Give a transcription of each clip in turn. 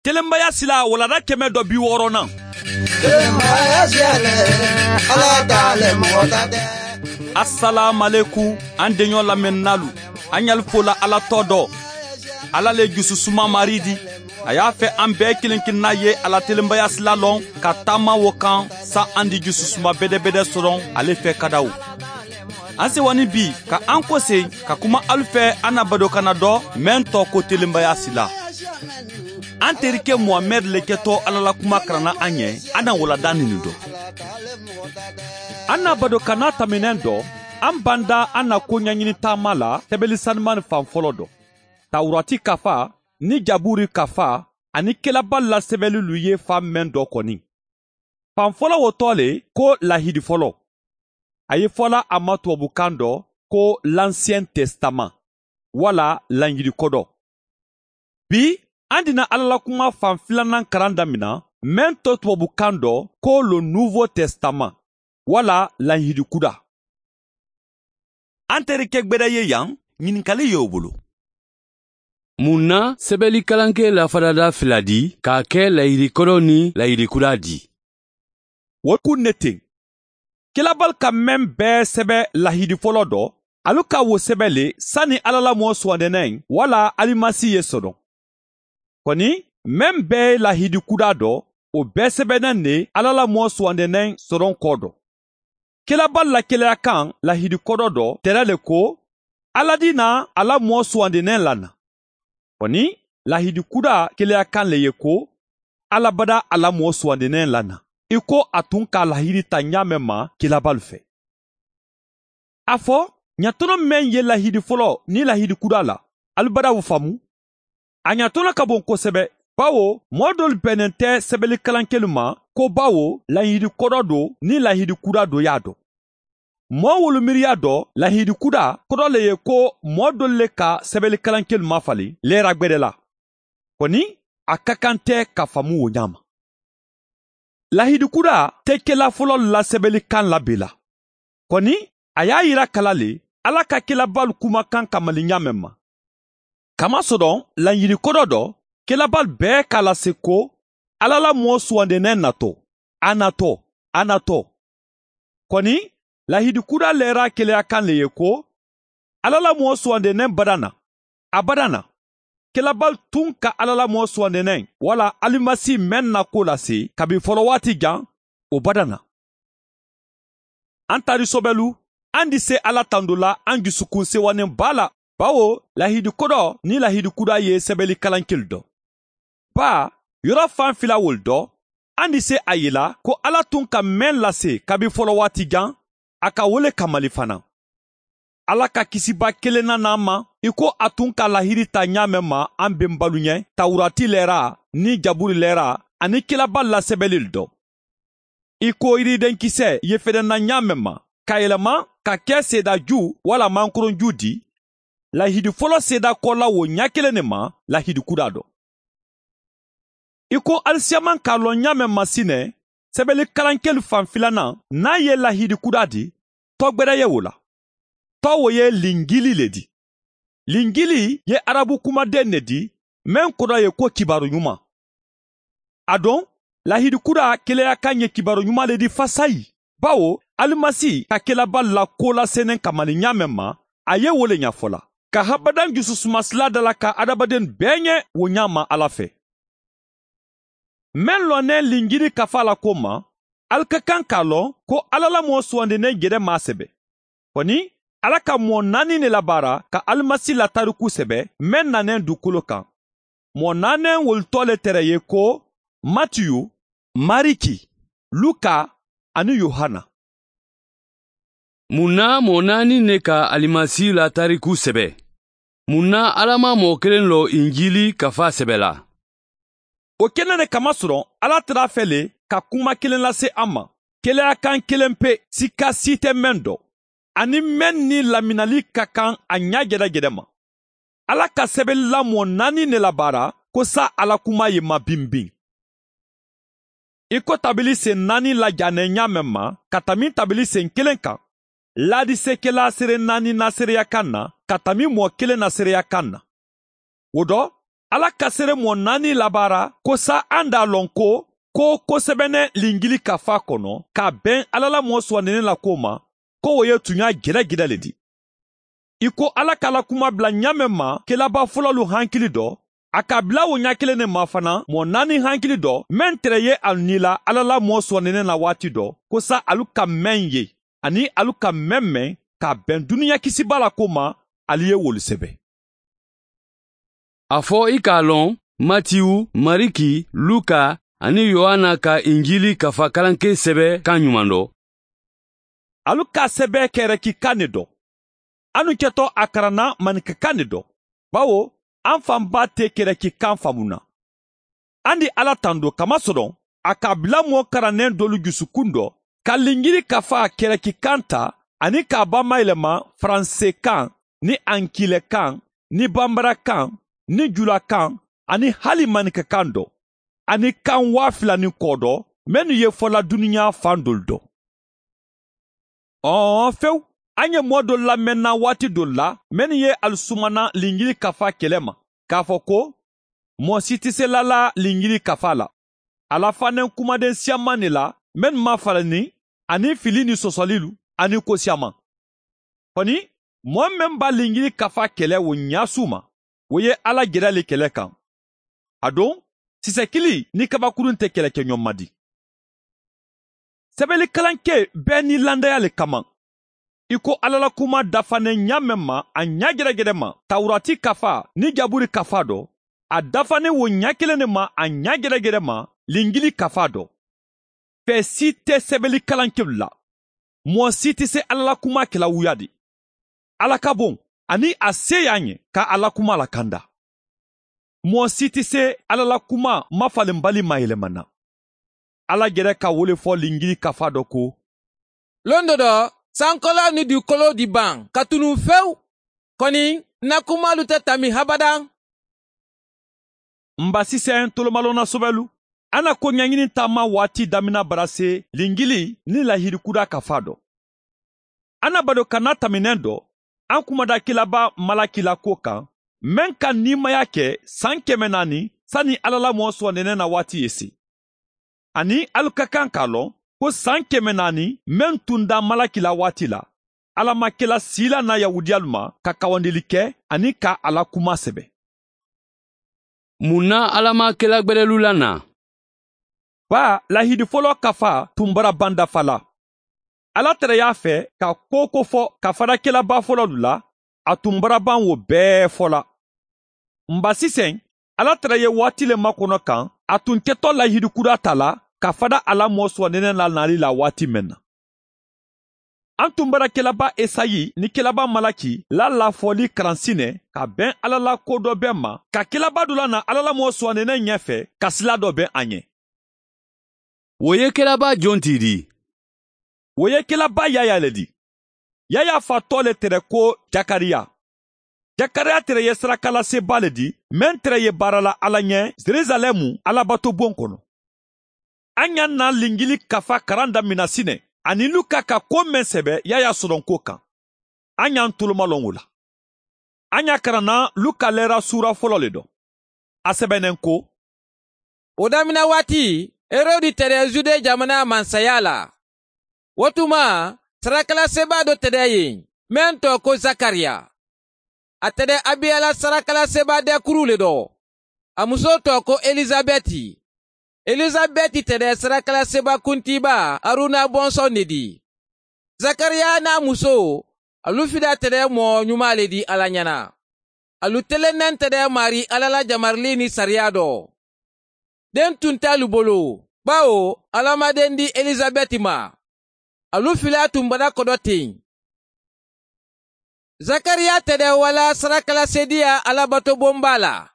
Telenbaya sila walada 160. Telenbaya siyale, Ala t'ale mɔgɔ ta tɛ. Assalamu an denɲɔ lamɛnnalu, an y'al fola Ala tɔ dɔ. Ala le jususuma mari di. A y'a fɛ an bɛɛ kelen kelenna ye Ala telenbaya sila lɔn ka taama wo kan sa an di jususuma bɛdɛbɛdɛ sɔrɔ ale fɛ kadaw. An sewani bi ka an kɔsen ka kuma alu fɛ an na badokana dɔ mɛn tɔ ko telenbaya sila. An terikɛ Muhamɛd le kɛtɔ Ala la kuma karanna an ɲɛ, an na walada nin dɔ. An na badokana taminɛn dɔ, an banda an na ko ɲɛɲini taama la sɛbɛli sanuman fan fɔlɔ dɔ. Tawurati kafa ni Jaburi kafa ani kelaba la sɛbɛlilu ye fan mɛn dɔ kɔni. Fan fɔlɔ wo tɔ le ko lahidi fɔlɔ. A ye fɔla a ma tubabukan dɔ ko l'Ancien Testament wala Lanjili kɔdɔ. Bi an dina Ala la kuma fan filanan karan damina mɛn tɔ tubabukan dɔ ko le Nouveau Testament wala Lanjili kuda. An terikɛ gbɛdɛ ye yan, ɲininkali y'o bolo. Mun na sɛbɛli kalankɛ lafadada fila di k'a kɛ layiri kɔrɔ ni layiri kura di? O kun ne ten. Kelabal ka mɛn bɛɛ sɛbɛ lahidi fɔlɔ dɔ, alu ka wo sɛbɛ le sani Ala la mɔɔ sugandɛnɛ wala alimasi ye sɔrɔ. Kɔni mɛn bɛɛ lahidi kuda dɔ, o bɛɛ sɛbɛnnen ne Ala la mɔɔ sugandɛnɛ sɔrɔ kɔ dɔ. Kelabal la kelaya kan lahidi kɔdɔ dɔ tɛrɛ le ko Ala di na ala mɔɔ sugandɛnɛ lana. Kɔni lahidi kuda kelaya kan le ye ko Ala bada ala mɔɔ sugandɛnɛ lana. I ko a tun ka lahidi ta ɲa mɛn ma kelabal fɛ. A fɔ ɲatɔnɔ mɛn ye lahidi fɔlɔ ni lahidi kuda la, alibada wo faamu. A ɲatɔnɔ ka bon kosɛbɛ, bawo mɔɔ dɔlu bɛnnen tɛ sɛbɛli kalankɛlu ma ko bawo lahidi kɔdɔ do ni lahidi kuda do y'a dɔn. Mɔɔ wolu miiriya dɔ lahidi kuda kɔdɔ le ye ko mɔɔ dɔlu le ka sɛbɛli kalankɛlu mafalen lɛra gbɛdɛ la. Kɔni a ka kan tɛ ka faamu o ɲa ma. Lahidi kuda tɛ kɛla fɔlɔ la sɛbɛli kan labela. Kɔni a y'a yira kala le Ala ka kɛlabal kumakan kamali ɲa mɛn ma. Kamasɔrɔ lahidi kɔdɔ dɔ kɛlabal bɛɛ k'a lase ko Ala la mɔɔ sugandɛnɛ natɔ, a natɔ, a natɔ. Kɔni lahidi kuda lɛra keleya kan le ye ko Ala la mɔɔ sugandɛnɛ badana, a badana. Kelabal tun ka Ala la mɔɔ sugandɛnɛ wala alimasi mɛn na ko lase kabi fɔlɔ waati jan o badana. An tari sɔbɛlu, an di se Ala tando la an dusukun sewanen ba la, bawo lahidi kɔdɔ ni lahidi kuda ye sɛbɛli kalankeli dɔ. Ba yɔrɔ fan fila wol dɔ, an di se a yela ko Ala tun ka mɛn lase kabi fɔlɔ waati jan, a ka wele kamali fana. Ala ka kisiba kelen na n'an ma, i ko a tun ka lahiri ta ɲa mɛn ma an benbalu ɲɛ, Tawurati lɛra ni Jaburi lɛra ani kelaba la sɛbɛli dɔ. I ko yiridenkisɛ ye fɛdɛnna ɲa mɛn ma, ka yɛlɛma ka kɛ sedaju wala mankoronju di, lahidi fɔlɔ seda kɔla wo ɲa kelen de ma lahidi kuda dɔ. I ko alisiyaman k'a lɔn ɲa mɛn ma sinɛ, sɛbɛli kalankɛli fan filanan n'a ye lahidi kuda di, tɔgbɛrɛ ye o la. Tɔ wo ye lingili le di. Lingili ye arabu kumaden ne di, mɛn kɔrɔ ye ko kibaru ɲuman. A dɔn, lahidi kuda keleya kan ye kibaru ɲuman le di fasayi. Bawo, alimasi ka kelaba la ko lasenen kamali ɲa mɛn ma, a ye wo le ɲɛfɔ la. Ka habadan jususumasila da la ka adamaden bɛɛ ɲɛ wo ɲa ma Ala fɛ. Mɛn lɔnnen lingili kafa la ko ma, ali ka kan k'a lɔn ko Ala la mɔɔ sugandinen gɛrɛ maa sɛbɛ. Kɔni, Ala ka mɔɔ naani ne labaara ka alimasi la tariku sɛbɛ mɛn nanen dugukolo kan. Mɔɔ naani wolitɔ le tɛrɛ ye ko Matiyu, Mariki, Luka ani Yohana. Mun na mɔɔ naani ne ka alimasi la tariku sɛbɛ? Mun na Ala ma mɔɔ kelen lɔ Injili kafa sɛbɛ la? O kɛnɛ de kamasɔrɔ Ala tɛr'a fɛ le ka kuma kelen lase an ma. Keleya kan kelen pe sika si tɛ mɛn dɔ. Ani mɛn ni laminali ka kan a ɲa gɛrɛgɛrɛ ma. Ala ka sɛbɛnni la mɔɔ naani ne labaara ko sa Ala kuma ye ma binbin. I ko tabili sen naani lajanɛ ɲa mɛn ma ka tami tabili sen kelen kan. Ladisekɛla seere naani na seereya kan na ka tami mɔɔ kelen na seereya kan na. O dɔ, Ala ka sere mɔ naani labaara ko sa an d'a lɔn ko ko sɛbɛnɛ lingili kafa kɔnɔ ka bɛn Ala la mɔɔ sugandinen la ko ma, ko o ye tunya gɛrɛgɛrɛ le di. I ko Ala k'a la kuma bila ɲa mɛn ma kelaba fɔlɔlu hankili dɔ, a ka bila o ɲa kelen ne ma fana mɔɔ naani hankili dɔ, mɛn tɛrɛ ye alu ni la Ala la mɔɔ sugandinen na waati dɔ, ko sa alu ka mɛn ye ani alu ka mɛn mɛn ka bɛn duniya kisiba la ko ma, alu ye wolu sɛbɛ. A fɔ i k'a lɔn Matiyu, Mariki, Luka ani Yohana ka Injili kafa kalanke sɛbɛ kan ɲuman dɔ. Alu ka sɛbɛ kɛrɛki kan ne dɔ. Anu kɛtɔ a karanna maninkakan ne dɔ. Bawo an fanba tɛ kɛrɛki kan faamu na. An di Ala tando kamasɔrɔ a ka bila mɔɔ karannen dɔlu jusukun dɔ ka lingiri kafa kɛrɛki kan ta ani k'a bamayɛlɛma faransekan ni ankilɛkan ni banbarakan ni julakan ani hali maninkakan dɔ ani kan 2000 ni kɔ dɔ minnu ye fɔla duniya fan dolu dɔ. Fewu, an ye mɔɔ dɔ lamɛnna waati dɔ la minnu ye alusumana lingiri kafa kɛlɛ ma k'a fɔ ko mɔɔ si tɛ se lala lingiri kafa la. A la fanen kumaden siyaman de la minnu ma falani ani fili ni sɔsɔlilu ani ko siyaman. Kɔni mɔɔ min b'a lingiri kafa kɛlɛ o ɲasu ma, o ye Ala gɛrɛ le kɛlɛ kan. A don sisɛkili ni kabakurun tɛ kɛlɛ kɛ ɲɔgɔn ma di. Sɛbɛnnikalankɛ bɛɛ ni landaya le kama. I ko Ala la kuma dafanen ɲa mɛn ma a ɲa gɛrɛgɛrɛ ma Tawurati kafa ni Jaburi kafa dɔ, a dafanen wo ɲa kelen de ma a ɲa gɛrɛgɛrɛ ma Lingili kafa dɔ. Fɛn si tɛ sɛbɛnnikalankɛlu la. Mɔɔ si tɛ se Ala la kuma kɛla wuya di. Ala ka bon ani a se y'an ye ka Ala kuma lakanda. Mɔɔ si tɛ se Ala la kuma mafalenbali mayɛlɛmana. Ala gɛrɛ ka wele fɔ Lingili kafa dɔ ko: Lon dɔ dɔ, sankɔla ni dugukolo di ban ka tunu fewu, kɔni na kumalu tɛ tami habada. N ba sisɛn tolomalonna sɔbɛlu, an na ko ɲɛɲini taama waati damina bara se Lingili ni lahirikuda kafa dɔ. An na bado kana taminɛn dɔ, an kumada kelaba Malaki la ko kan, mɛn ka nimaya kɛ san 400 sani Ala la mɔɔ sɔnɛnɛ na waati ye se. Ani alu ka kan k'a lɔn ko san 400 mɛn tun da Malaki la waati la, Ala ma kela si la na Yahudiyalu ma ka kawandeli kɛ ani ka Ala kuma sɛbɛ. Mun na Ala ma kela gbɛrɛlu la na? Ba lahidi fɔlɔ kafa tun bara ban dafa la. Ala tɛrɛ y'a fɛ ka ko ko fɔ ka fara kelaba fɔlɔlu la, a tun bara ban wo bɛɛ fɔ la. Nba sisan, Ala tɛrɛ ye waati le makɔnɔ kan, a tun kɛtɔ lahidi kura ta la ka fada Ala mɔ sɔnɛnɛ la nali la waati mɛn na. An tun bara kelaba Esayi ni kelaba Malaki la lafɔli karansinɛ ka bɛn Ala la ko dɔ bɛɛ ma, ka kelaba dɔ la na Ala la mɔ sɔnɛnɛ ɲɛfɛ ka sila dɔ bɛn an ɲɛ. O ye kelaba jɔn ti di? O ye kelaba Yaya le di. Yaya fa tɔ le tɛrɛ ko Jakariya. Jakariya tɛrɛ ye sarakalaseba le di, mɛn tɛrɛ ye baara la Ala ɲɛ Jerusalɛmu alabatobon kɔnɔ. An y'a na Lingili kafa karan damina sinɛ, ani Luka ka ko mɛn sɛbɛ Yaya sɔrɔnko kan. An y'an tolomalɔn o la. An y'a karanna Luka lɛra sura fɔlɔ le dɔ. A sɛbɛnnen ko: O damina waati, Herodi tɛrɛ Jude jamana mansaya la. O tuma, sarakalaseba dɔ tɛrɛ yen, mɛn tɔ ko Zakariya. A tɛrɛ Abiyala sarakalaseba dɛkuru le dɔ. A muso tɔ ko Elizabɛti. Elizabɛti tɛrɛ sarakalaseba kuntiba Aruna bɔnsɔn de di. Zakariya n'a muso, alu fila tɛrɛ mɔɔ ɲuman le di Ala ɲɛna. Alu telennen tɛrɛ mari Ala la jamarili ni sariya dɔ. Den tun t'alu bolo, bawo Ala ma den di Elizabɛti ma. Alu fila tun bara kɔdɔ ten. Zakariya tɛrɛ wala sarakalasediya alabatobonba la.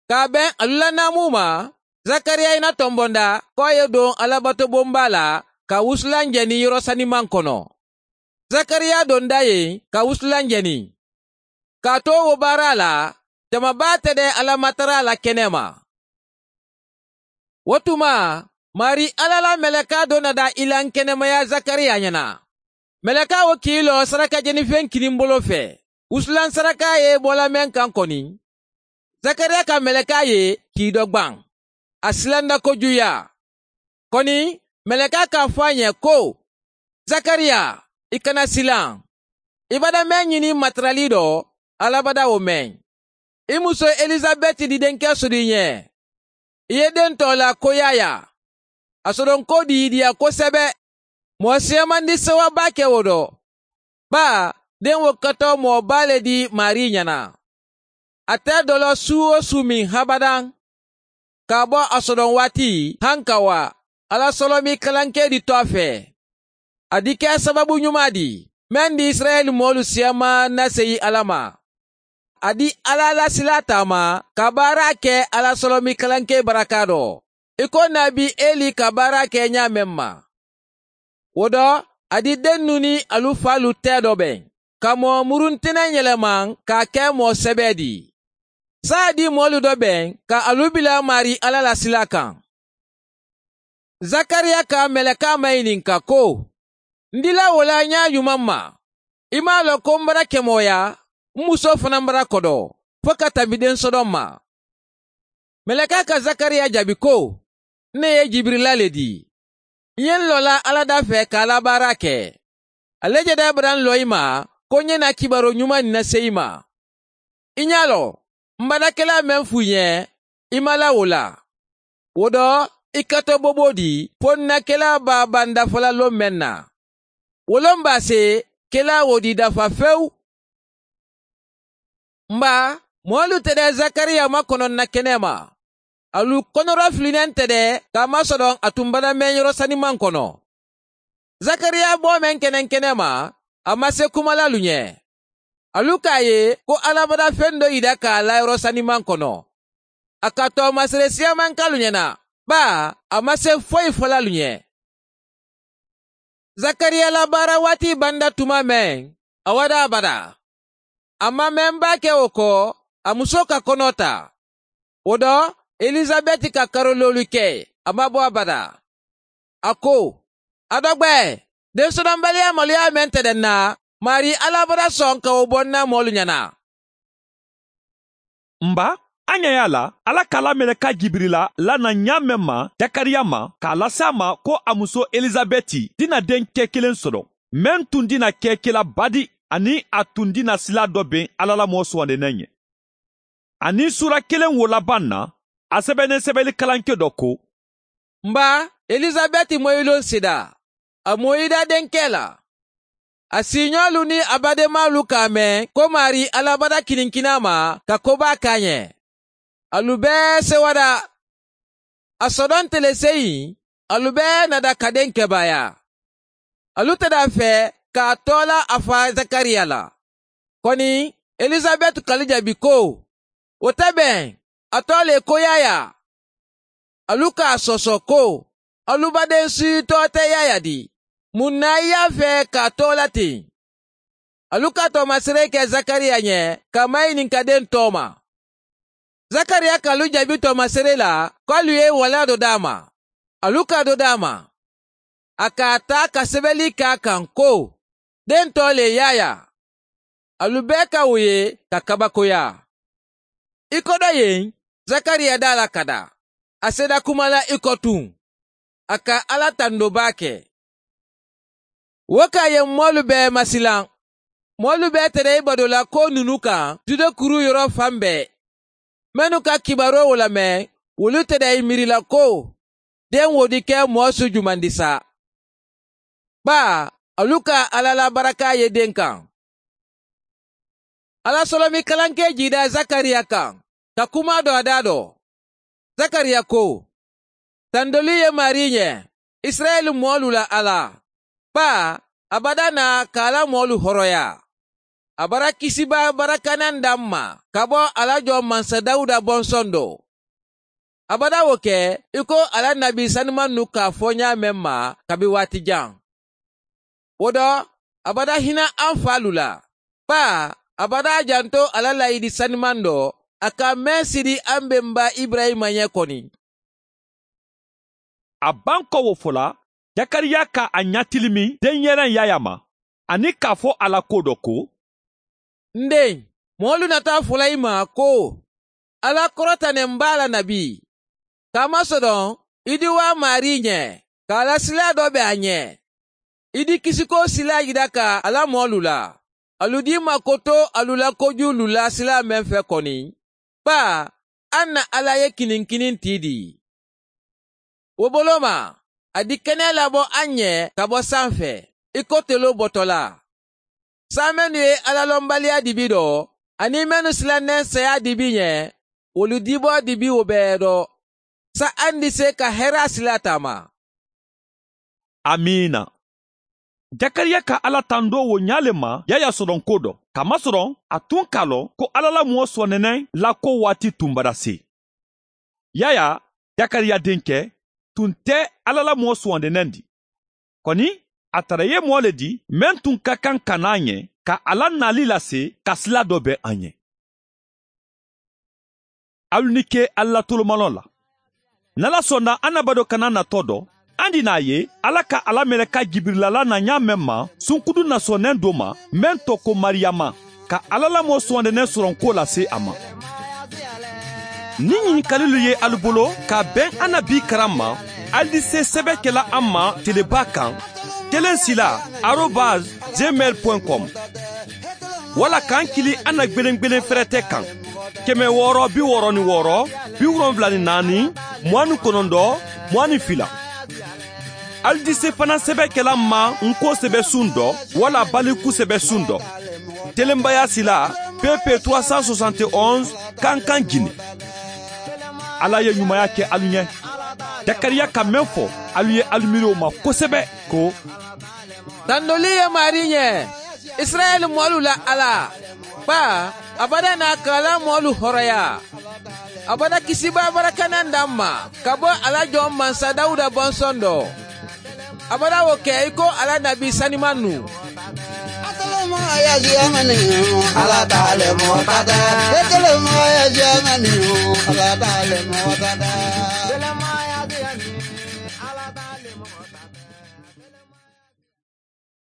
K'a bɛn alu la naamu ma, Zakariya ina tɔnbɔnda k'a ye don alabatobonba la ka wusulan jɛni yɔrɔ saniman kɔnɔ. Zakariya donda yen ka wusulan jɛni. K'a to o baara la, jamaba tɛrɛ alamatara la kɛnɛ ma. O tuma, Mari Ala la mɛlɛka dɔ nana ilan kɛnɛmaya Zakariya ɲɛna. Mɛlɛka o k'i lɔ saraka jɛnifɛn kinin bolo fɛ. Wusulan saraka ye bɔla mɛn kan kɔni. Zakariya ka mɛlɛkɛ ye k'i dɔgban. A silanda kojuya. Kɔni mɛlɛkɛ k'a fɔ a ɲɛ ko, Zakariya, i kana silan. I bada mɛn ɲini matarali dɔ, Ala bada o mɛn. I muso Elizabɛti di denkɛ sɔrɔ i ɲɛ. I ye den tɔ la ko Yaya. A sɔrɔ ko di diya kosɛbɛ. Mɔgɔ siyaman di sewaba kɛ o dɔ. Ba, den wo katɔ mɔgɔba le di Mari ɲɛna. A tɛ dɔlɔ su o su min habadan. K'a bɔ a sɔrɔ waati han ka wa, Ala sɔrɔ mi kalankɛ di tɔ fɛ. A di kɛ sababu ɲuman di, mɛn di Israɛl mɔɔlu siyaman lase Ala ma. A di Ala la sila taama ka baara kɛ Ala sɔrɔ mi kalankɛ baraka dɔ. I ko nabi Eli ka baara kɛ ɲa mɛn ma. O dɔ, a di den nu ni alu falu tɛ dɔ bɛn. Ka mɔɔ muruntɛnɛ yɛlɛma k'a kɛ mɔɔ sɛbɛ di. Saa di mɔɔlu dɔ bɛn ka alu bila mari Ala la sila kan. Zakariya ka mɛlɛka maɲininka ko, n dila o la ɲa ɲuman ma. I m'a lɔn ko n bara kɛmɔya, n muso fana bara kɔdɔ, fo ka tɛmɛ den sɔdɔn ma. Mɛlɛka ka Zakariya jaabi ko, ne ye Jibirila le di. N ye n lɔla Ala da fɛ k'a la baara kɛ. Ale jɛda bara n lɔ i ma, ko n ye na kibaru ɲuman nin lase i ma. I ɲa lɔ, n badakɛla mɛn f'u ɲɛ, i ma la o la. O dɔ, i ka to bobo di, fo n na kɛla b'a ban dafala lon mɛn na. Wolon b'a se, kɛla o di dafa fewu. Nba, mɔɔlu tɛ dɛ Zakariya makɔnɔ na kɛnɛ ma. Alu kɔnɔrɔ filinen tɛ dɛ k'a masɔrɔ a tun bada mɛn yɔrɔ saniman kɔnɔ. Zakariya bɔ mɛn kɛnɛ kɛnɛ ma, a ma se kumala lu ɲɛ. Alu k'a ye ko Ala bada fɛn dɔ yira k'a la yɔrɔ saniman kɔnɔ. A ka tɔɔmasere siyaman k'alu ɲɛna, ba a ma se foyi fɔla lu ɲɛ. Zakariya la baara waati banda tuma mɛn, a wada abada. A ma mɛn ba kɛ o kɔ, a muso ka kɔnɔ ta. O dɔ, Elizabɛti ka karololu kɛ, a ma bɔ abada. A ko, a dɔgbɛ, densɔrɔbaliya maloya mɛn tɛ dɛ na, Mari Ala bara sɔn ka o bɔ n na mɔɔlu ɲɛna. Nba, an ɲɛ y'a la, Ala k'a mɛlɛka Jibirila lana ɲa mɛn ma Zakariya ma k'a lase a ma ko a muso Elizabɛti dina denkɛ kelen sɔrɔ, mɛn tun dina kɛ kɛla badi ani a tun dina sila dɔ ben Ala la mɔɔ sugandenen ɲɛ. Ani sura kelen wo laban na, a sɛbɛnnen sɛbɛnni kalankɛ dɔ ko, Nba, Elizabɛti mɔyilon sida, a mɔyida denkɛ la. A siɲɔlu ni a badenmalu k'a mɛn ko Mari Ala bada kininkina ma ka koba k'a ɲɛ. Alu bɛɛ sewada. A sɔdɔn teleseyin, alu bɛɛ nada ka den kɛbaya. Alu tɛ da fɛ k'a tɔla a fa Zakariya la. Kɔni, Elizabɛti k'alu jaabi ko, o tɛ bɛn, a tɔ le ko Yaya. Alu k'a sɔsɔ ko, alu baden si tɔ tɛ Yaya di. Mun na i y'a fɛ k'a tɔ la ten? Alu ka tɔmasere kɛ Zakariya ɲɛ ka maɲininka den tɔ ma. Zakariya k'alu jaabi tɔmasere la k'alu ye wala dɔ d'a ma. Alu ka dɔ d'a ma. A k'a ta ka sɛbɛnni k'a kan ko, den tɔ le Yaya. Alu bɛɛ ka o ye ka kabakoya. I kɔdɔ yen, Zakariya da la ka da. A sera kuma la i kɔ tun. A ka Ala tandoba kɛ. Wo k'a ye mɔɔlu bɛɛ masilan. Mɔɔlu bɛɛ tɛrɛ i badola ko nunu kan Jude kuru yɔrɔ fan bɛɛ. Mɛnnu ka kibaru o lamɛn, olu tɛrɛ i miirila ko den wo di kɛ mɔɔ su juman di sa. Ba, alu ka Ala la baraka ye den kan. Ala sɔrɔmi kalankɛ jida Zakariya kan, ka kuma dɔ a da dɔ. Zakariya ko, tandoli ye Mari ɲɛ, Israɛl mɔɔlu la Ala. Ba, a bada na k'ala mɔɔlu hɔrɔnya. A bara kisiba barakanan d'an ma ka bɔ Ala jɔ mansa Dawuda bɔnsɔn dɔ. A bada o kɛ i ko Ala nabi sanuman nu k'a fɔ ɲa mɛn ma kabi waati jan. O dɔ, a bada hinɛ an falu la. Ba, a bada janto Ala layidi sanuman dɔ, a ka mɛn siri an bɛnba Ibrahima ɲɛ kɔni. A ban kɔ wo fɔla, Zakariya ka a ɲatilimi denyɛrɛ Yaya ma, ani k'a fɔ a la ko dɔ ko, N den, mɔɔlu nata fɔla i ma ko, Ala kɔrɔtanen b'a la nabi. K'a masɔrɔ i di wa Mari ɲɛ, k'a la sila dɔ bɛ a ɲɛ. I di kisiko sila yira ka ala mɔlu la. Alu di makoto alu la koju la sila mɛn fɛ kɔni. Ba, an na Ala ye kininkinin ti di. O bolo ma, a di kɛnɛ labɔ an ɲɛ ka bɔ sanfɛ, i ko telo bɔtɔ la. Sa mɛnu ye alalɔnbaliya dibi dɔ, ani mɛnu silannen saya dibi ɲɛ, olu dibɔ dibi o bɛɛ dɔ. Sa an di se ka hɛrɛ sila taama. Amiina. Jakariya ka Ala tando wo ɲa le ma Yaya sɔrɔn ko dɔ. Kamasɔrɔ a tun k'a lɔn ko Ala la mɔɔ sɔnɛnɛ la ko waati tun bara se. Yaya, Jakariya denkɛ, tun tɛ Ala la mɔɔ sɔnɛnɛ di. Kɔni, a tara ye mɔɔ le di mɛn tun ka kan ka n'a ɲɛ ka ala nali lase ka sila dɔ bɛn an ɲɛ. Alu ni ke Ala tolomalɔ la. N'Ala sɔnna an na bado kana natɔ dɔ, an di n'a ye Ala ka ala mɛlɛka Jibirilala na ɲa mɛn ma sunkudu nasɔnɛn do ma mɛn tɔ ko Mariyama ka Ala lamɔ sɔndɛnɛ sɔrɔ ko lase a ma. Ni ɲininkalilu ye alu bolo ka bɛn an na bi karan ma, alu di se sɛbɛ kɛla an ma teleba kan 16@gmail.com wala k'an kili an na gbelengbelen fɛrɛtɛ kan 666 74 29 22. Alu di se fana sɛbɛ kɛla ma nko sɛbɛ sun dɔ wala baliku sɛbɛ sun dɔ. Telenbaya sila PP 371 Kankan Guinée. Ala ye ɲumanya kɛ alu ɲɛ. Jakariya ka mɛn fɔ alu ye alu miiri o ma kosɛbɛ ko Tandoli ye Mari ɲɛ, Israɛl mɔlu la Ala. Ba, abada n'a kala mɔlu hɔrɔnya. Abada kisiba barakanan d'an ma ka bɔ Ala jɔn mansa Dawuda bɔnsɔn dɔ. Abada o kɛ i ko Ala nabi saniman nu. Ala t'ale mɔgɔ ta tɛ. Ala t'ale mɔgɔ ta tɛ.